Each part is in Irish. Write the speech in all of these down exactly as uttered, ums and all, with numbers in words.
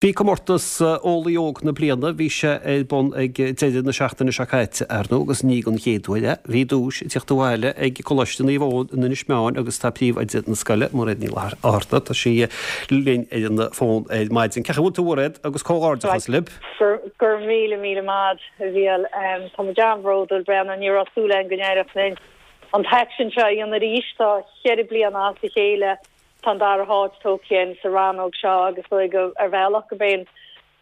Bhí comórtas Eolaí Óg na Bliana, bhí sé ar bun ag deireadh na seachtaine seo caite, ar ndóigh, agus ní don chéad uair é. Bhí duais ag teacht abhaile ag Coláiste Naomh Eoin in Inis Meáin agus tá príomhoide na scoile, Mairéad Ní Fhátharta, tá sí linn ar an bhfón ar maidin. Cén chaoi a bhfuil tú, a Mhairéad, agus comhghairdeachas libh. Go raibh míle míle maith agat, a Mhíchíl. Tá muid an-bhródúil, Bréanainn, ní raibh súil againn go n-éireodh linn an t-aicsean seo a dhéanamh arís. Tá cheithre bliana as a chéile tá an dara háit tógtha againn sa rannóg seo agus dóigh go ar bhealach go b'é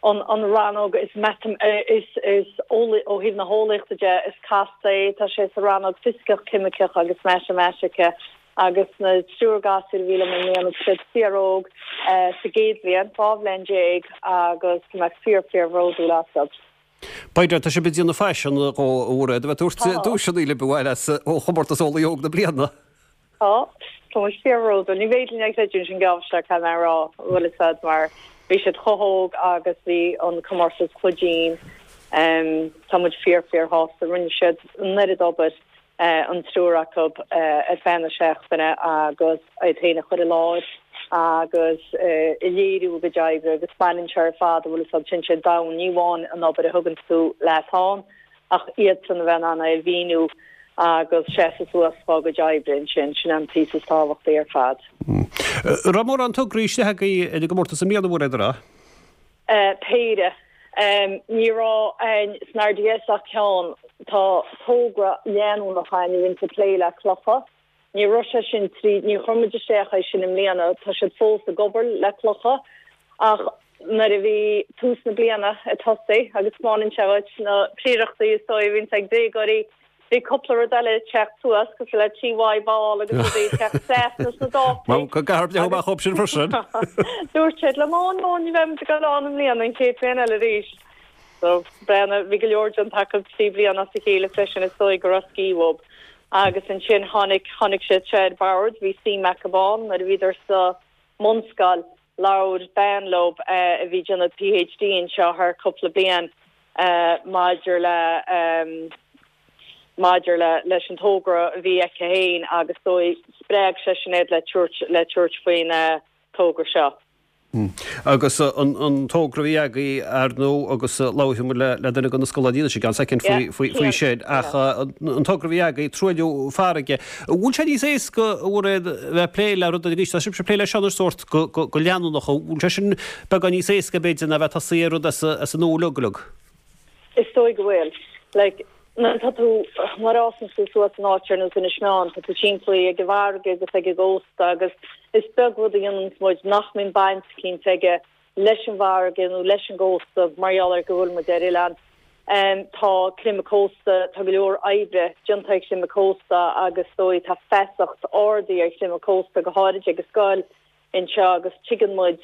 an an rannóg is matam is is ó thaobh na heolaíochta de is casta é. Tá sé sa rannóg fisiceach, ceimiceach agus matamaitice agus na triúr gasúr a bhí liom i mbliana siad fíor-óg sa gcéad bhliain, dhá bhliain déag agus tá mé fíor fíorbhródúil astu. B'fhéidir tá sibh ag déanamh faisean a Mhairéad a bheith ag tabhairt duaiseanna libh abhaile as ó chomórtas Eolaí Óg na Bliana. Tá tá muid fíorbhródúil. Ní féidir linn a chreidiúint sin geábh seo caithfidh mé a rá bhfuil a fhios agat mar bhí siad chomh hóg agus bhí an comórtas chomh dian. Um, tá muid fíor fíorshásta rinne siad an oiread obair uh, an triúr acu uh, ar feadh na seachtaine agus iad féin a chur i láthair agus uh, i léiriú go oibre agus baineann sé ar fad bhfuil a fhios agat sin sé domhan ní amháin an obair a thugann tú leat ann ach iad san a bheith an é mhíniú agus seasamh suas fá go oibre sin sin an píosa is tábhachtaí ar fad. Raibh mórán tograí istigh agaibh ar an gcomórtas i mbliana a Mhairéad a? Uh, péire um, ní raibh an san R D S ach ceann. Tá togra leanúnach againn a bhíonn ag plé le clocha. Ní raibh sé sin trí ní chuir muid isteach é sin i mbliana, tá siad fós ag obair le clocha ach nuair a bhí tús na bliana ag tosú agus mánin se na príireachtaí is dóigh bhíonn ag déagóirí bhí cúpla rud eile teacht suas go le tí ball agus teach na dá go gar op sin freisin. Dúirt siad le má nó ní bheidh go an an bliain an chéad bhliain eile arís. So breina bhí go leor den taca trí bliana as a chéile freisin is dóigh go raibh sciobadh. Agus ansin tháinig tháinig sé sé bord bhí sí Macabán nuair a bhíodar sa mbunscoil labhair bean leo uh, a bhí ag déanamh P H D anseo thar cúpla bliain uh, maidir le um, maidir le leis an togra a bhí aici féin agus dóigh spreag sé sin iad le tabhairt le tabhairt faoin uh, togra seo. Mm. Agus uh, an, an togra bhí agaibh ar ndóigh agus uh, labhróidh le le duine de na scoláirí sin soicind faoi faoi sin ach uh, an togra bhí agaibh truailliú farraige. Bhfuil sé níos éasca bheith plé le rud agus tá sibh plé le sean sórt go, go, go leanúnach bhfuil sé sin beagán níos éasca b'fhéidir ná bheith ag rud as as an nua uilig. Is dóigh go bhfuil. Like, na tá tú mar fhásann tú suas in áit ar nós Inis Meáin, tá tú timpeall ag an bhfarraige agus ag an gcósta agus is beag rud a dhéanann muid nach mbíonn baint eicínt aige leis an bhfarraige nó leis an gcósta mar gheall ar go bhfuil muid ar oileán. Um, tá creimeadh cósta tá go leor oibre déanta ag creimeadh cósta agus dóigh tá feasacht ard ar chreimeadh cósta go háirid ag an scoil anseo agus tuigeann muid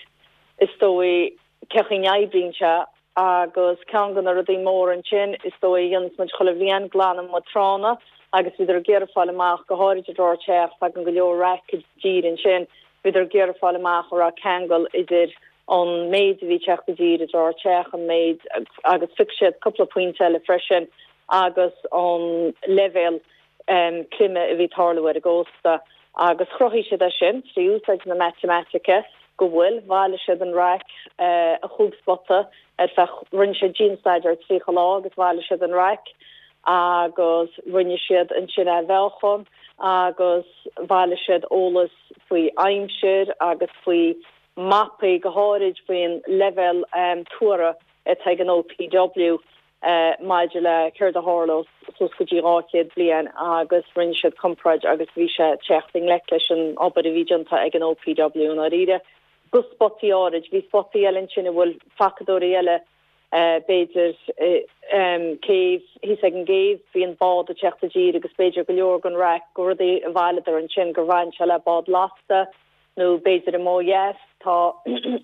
is dóigh cén chaoi a n-oibríonn sé agus ceann de na rudaí mór ansin is dóigh a dhéanann muid chuile bhliain glanann muid tránna agus bhíodar ag iarraidh fáil amach go háirid i dTrá Teach tagann go leor raic i dtír ansin bhíodar ag iarraidh fáil amach an raibh ceangal idir an méid a bhí ag teacht i dtír i dTrá Teach an méid agus phioc siad cúpla pointe eile freisin agus an leibhéal um, creime a bhí ag tarlú ar an gcósta agus chruthaigh siad é sin trí úsáid na matamaitice go bhfuil bhailigh siad an raic uh, a chúig spota ar feadh rinne siad dianstaidéar tríocha lá agus bhailigh siad an raic agus rinne siad ansin a mheáchan agus bhailigh siad eolas faoi aimsir agus faoi mapaí go háirid faoin leibhéal um, tuara atá ag an O P W uh, maidir le céard a tharlós suas go dtí dhá chéad bliain agus rinne siad comparáid agus bhí sé teacht i ngleic leis an obair a bhí déanta ag an O P W an áiríre. Go spotaí áirid, bhí spotaí eile sin a bhfuil facadóirí eile uh, b'fhéidir uh, um, céibh thíos ag an gcéibh bhí an bád ag teacht i dtír agus b'fhéidir go leor den raic go rudaí a bhaileadar ansin gur bhain sé le bád lasta nó b'fhéidir i Maigh Dheas tá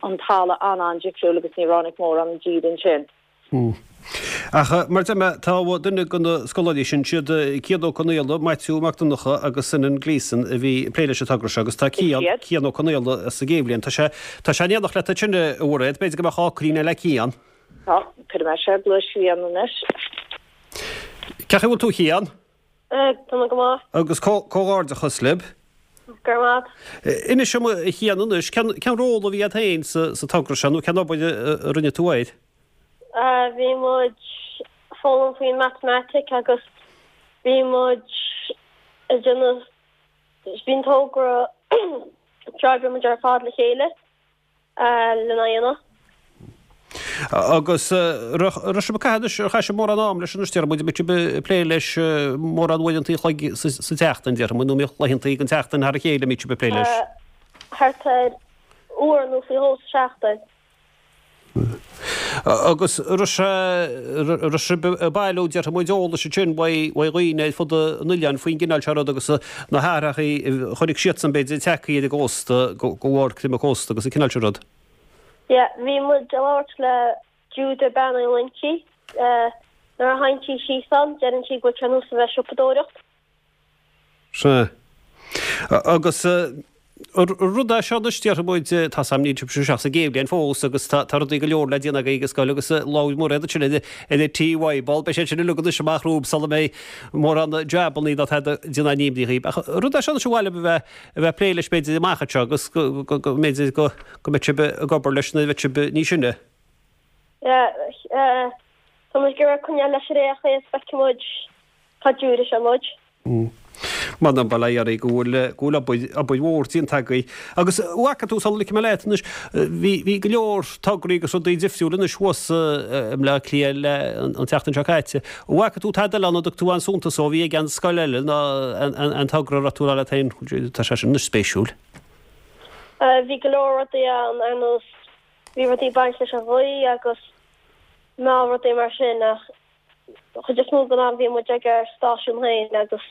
an talamh an-an-difriúil agus ní ráinig mórán i dtír ansin. Hmm. Ach mar de tá duine de na scoláirí sin siad Cian Ó Conaola, Maitiú Mac Donncha agus Senan Gleeson a bhí ag plé leis an togra seo agus tá Cian Cian Ó Conaola sa gcéad bhliain. Tá sé tá sé in éineacht leat ansin a Mhairéad, b'fhéidir go mbeadh críine le Cian. Tá chu me sé blu Cian anois. Cén chaoi a bhfuil tú Cian? Tá go maith. Agus comhghairdeachas libh? Go raibh maith agat. Inis dom a Chian anois, cén ról a bhí agat féin sa togra seo nó cén obair a rinne tú air? Bhí muid ag foghlaim faoin matamaitic agus bhí muid ag déanamh bhí an togra d'oibrigh muid ar fad le chéile lena dhéanamh. Agus raibh sibh ag caitheamh anois, ar chaith sibh mórán am leis anois, déarfaidh muid, an mbeidh sibh ag plé leis mórán uaireanta an chloig sa tseachtain, déarfaidh muid, nó an mbíodh laethanta den tseachtain thar a chéile a mbíodh sibh ag plé leis? Thart ar uair nó faoi dhó sa seachtain. Agus raibh sé, raibh sibh ag bailiú, déarfaidh muid, eolais ansin uaidh dhaoine ar fud an oileáin faoin gcineál seo rud agus na hathrachaí a chonaic siadsan b'fhéidir tagtha ar an gcósta, go bharr creimeadh cósta agus an cineál seo rud. Yeah, bhí muid ag labhairt le Jude Bean Uí Loinsigh. Nuair a théann sí síos ann, deireann sí go bhfuil sé ar nós a bheith ag siopadóireacht. Sea. Agus rud é seo anois, déarfaidh muid, tá 's a'm níl sibh ach sa gcéad bhliain fós agus tá rudaí go leor le déanamh agaibh ag an scoil agus labhair Mairéad ansin ar an TY ball, beidh sé sin uilig anois amach romhaibh sula mbeidh mórán jabannaí ná tada déanamh in imní dhaoibh. Ach rud é seo anois ar mhaith libh a bheith a bheith ag plé leis b'fhéidir amach anseo agus go mb'fhéidir go mbeidh sibh ag obair leis nuair a bheidh sibh níos sine. Yeah, tá muid ag iarraidh coinneáil leis ar aon chaoi is feicfidh muid cá dtabharfaidh sé muid. M'anam bail ó Dhia oraibh go bhfuil go bhfuil obair obair mhór déanta agaibh. Agus an bhfaca tú sula ligfidh mé leat anois, bhí bhí go leor tograí agus rudaí difriúla anois thuas i mBleá Cliath le an tseachtain seo caite. An bhfaca tú tada eile ann a dtug tú aon suntas ó a bhí ag an scoil eile ná an an togra a raibh tú a rá leat féin, tá sé sin anois spéisiúil. Bhí go leor rudaí ann ar nós bhí rudaí ag baint leis an ghaoth agus ná rudaí mar sin ach chuid is mó den am bhí muid ag ár stáisiún féin agus.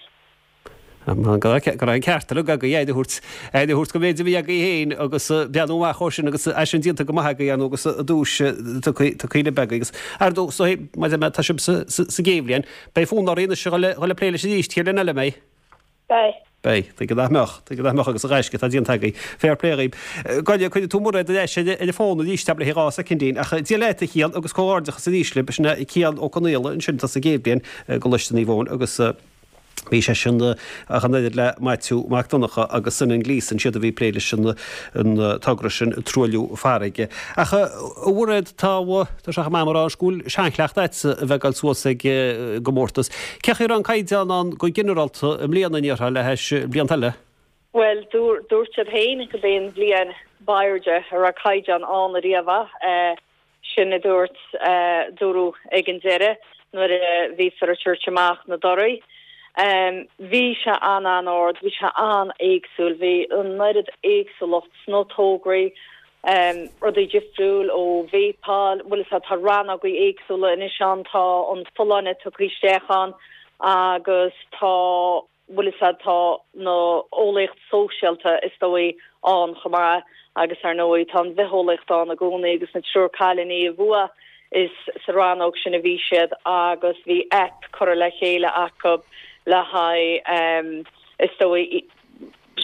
Go raibh an ceart uilig agaibh aire a thabhairt aire a thabhairt don mhéid a bhí agaibh féin agus breathnú amach ó sin agus é sin déanta go maith agaibh ar ndóigh agus an duais tugtha libh agaibh agus ar ndóigh so mar a deir mé tá sibh sa gcéad bhliain beidh fonn oraibh anois a dhul ag plé leis arís chéad bhliain eile an mbeidh? Beidh. Beidh. Tuige nach mbeadh. Tuige nach mbeadh agus an gaisce atá déanta agaibh. Fair play dhaoibh. Gabh i leith, cuirfidh tú Mairéad ar ais ar an bhfón arís le haghaidh dhá soicindín. Ach Dia leat, a Chian, agus comhghairdeachas arís libh. Sin é Cian Ó Conaola ansin atá sa gcéad bhliain i gColáiste Naomh Eoin agus bhí seisean ach an oiread le Maitiú Mac Donncha agus Senan Gleeson, siad a bhí ag plé leis an togra sin, Truailliú Farraige. Ach a Mhairéad, tá, tá sé chomh maith a rá anois go bhfuil seanchleachtadh agatsa a bheith ag dul suas ag an gcomórtas. Cén chaoi a raibh an caighdeán ann go ginearálta i mbliana, an ndéarfá, le hais blianta eile? Bhuel, dúirt siad féin gurb é an bhliain b'airde a raibh caighdeán ann ariamh. Sin a dúirt, dúradh ag an deireadh nuair a bhíodar ag tabhairt amach na dtorthaí. Bhí sé an-an-ard, bhí sé an-éagsúil, bhí an oiread éagsúlacht sna tograí, rudaí difriúil ó vapáil, bhfuil fhios a'd, tá rannógaí éagsúla anois ann, tá an folláine tugtha isteach ann agus tá, bhfuil fhios a'd, tá na eolaíocht sóisialta is dóigh ann chomh maith agus ar ndóigh tá an bhitheolaíocht ann i gcónaí agus na triúr cailíní a bhuaigh is sa rannóg sin a bhí siad agus bhí aip curtha le chéile acu le haghaidh is dóigh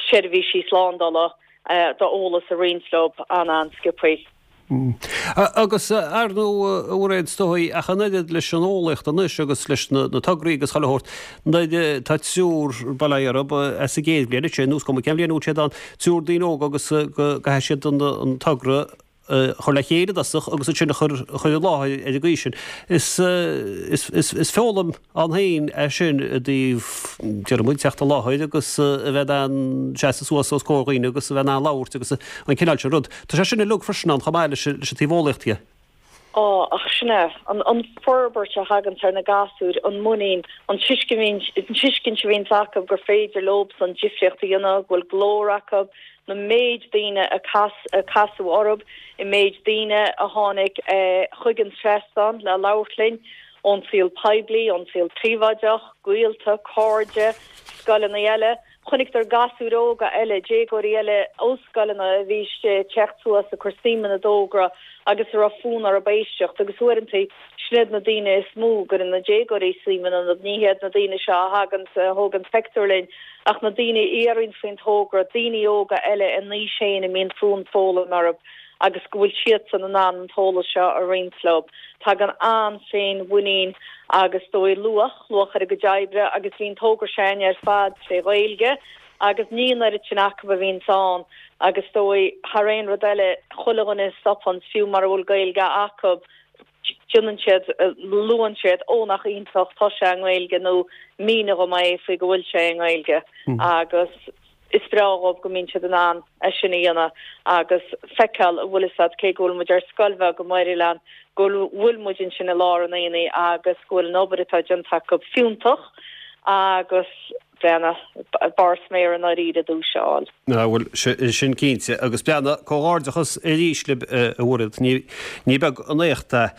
seirbhísí slándála d'eolas a roinnt leo an-an-sciobthaí. Agus ar ndóigh, a Mhairéad, is dóigh, ach an oiread leis an eolaíocht anois agus leis na tograí agus chuile shórt, nuair tá triúr, bail ó Dhia orthu, as an gcéad bhliain ansin, nó is cuma cén bhliain a bhfuil siad ann, triúr daoine óga agus go gcaithfidh siad an togra a chur le chéile i dtosach agus ansin a chur chur i láthair ar an gcaoi sin. Is is is foghlaim ann féin é sin i dtaobh, déarfaidh muid, teacht i láthair agus a bheith in ann seasamh suas os comhair dhaoine agus a bheith in ann labhairt agus an cineál sin rud. Tá sé sin uilig freisin ann chomh maith leis leis an taobh eolaíochta. Á, ach sin é, an an forbairt a thaganns ar na gasúir, an muinín, an tuiscint an tuiscint a bhíonns acu gur féidir leobsan difríocht a dhéanamh, go bhfuil glór acu, na méid daoine a a casadh orthu, an méid daoine a tháinig chuig an trasnán le labhairt linn, ón saol poiblí, ón saol príobháideach, gaolta, cairde, scoileanna eile. Chonaiceadar gasúir óga eile, déagóirí eile ó scoileanna a bhí istigh ag teacht suas ag cur suim ina dtogra agus a raibh fonn orthu éisteacht agus uaireanta sin iad na daoine is mó a gcuireann na déagóirí suim iontu, ní hiad na daoine seo a thagann a thógann pictiúr linn ach na daoine a iarraíonn faoin togra, daoine óga eile a n-aois féin a mbíonn fonn foghlaim orthu agus go bhfuil siadsan in ann an t-eolas seo a roinnt leo. Tagann an-féinmhuinín agus dóigh luach, luach ar a gcuid oibre agus bhí an togra sin ar fad tré Ghaeilge Agus ní an oiread sin acu a bhíonns ann agus is dóigh thar aon rud eile chuile dhuine a stopanns fiú mara bhfuil Gaeilge acu déanann siad luann siad ó nach iontach tá sé i nGaeilge nó mínigh dhom é faoi go bhfuil sé i nGaeilge agus is breá dhóibh go mbíonn siad in ann é sin a dhéanamh agus feiceáil an bhfuil fhios a'd cé go bhfuil muid ar scoil bheag i Muirelann go bhfuil muid ansin i lár an aonaigh agus go bhfuil an obair atá déanta acu fiúntach agus breathnaigh, barr sméar i ndáiríre duais a fháil. Á bhuel, sin cinnte. Agus breathnaigh, comhghairdeachas arís libh a Mhairéad. Ní ní beag an éacht é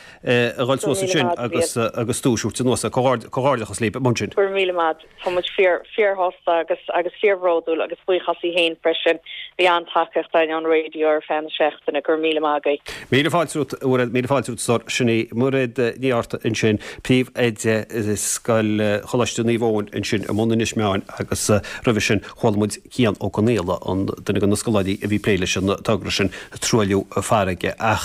a dhul suas ansin agus agus duais a thabhairt anuas. Comhghairdeachas libh mar sin. Go raibh míle maith. Tá muid fíor fíorshásta agus agus fíorbhródúil agus buíochas í féin freisin. Bhí an-tacaíocht againn ón raidió ar feadh na seachtaine. Go raibh míle maith agaibh. Míle fáilte romhat, a Mhairéad, míle fáilte romhat, a stór. Sin í Mairéad Ní Fhátharta ansin, Príomhoide Scoil Choláiste Naomh Eoin ansin i mbun Inis Meáin agus roimhe sin chuala muid Cian Ó Conaola, an duine de na scoláirí a bhí ag plé leis an togra sin, Truailliú Farraige. Ach.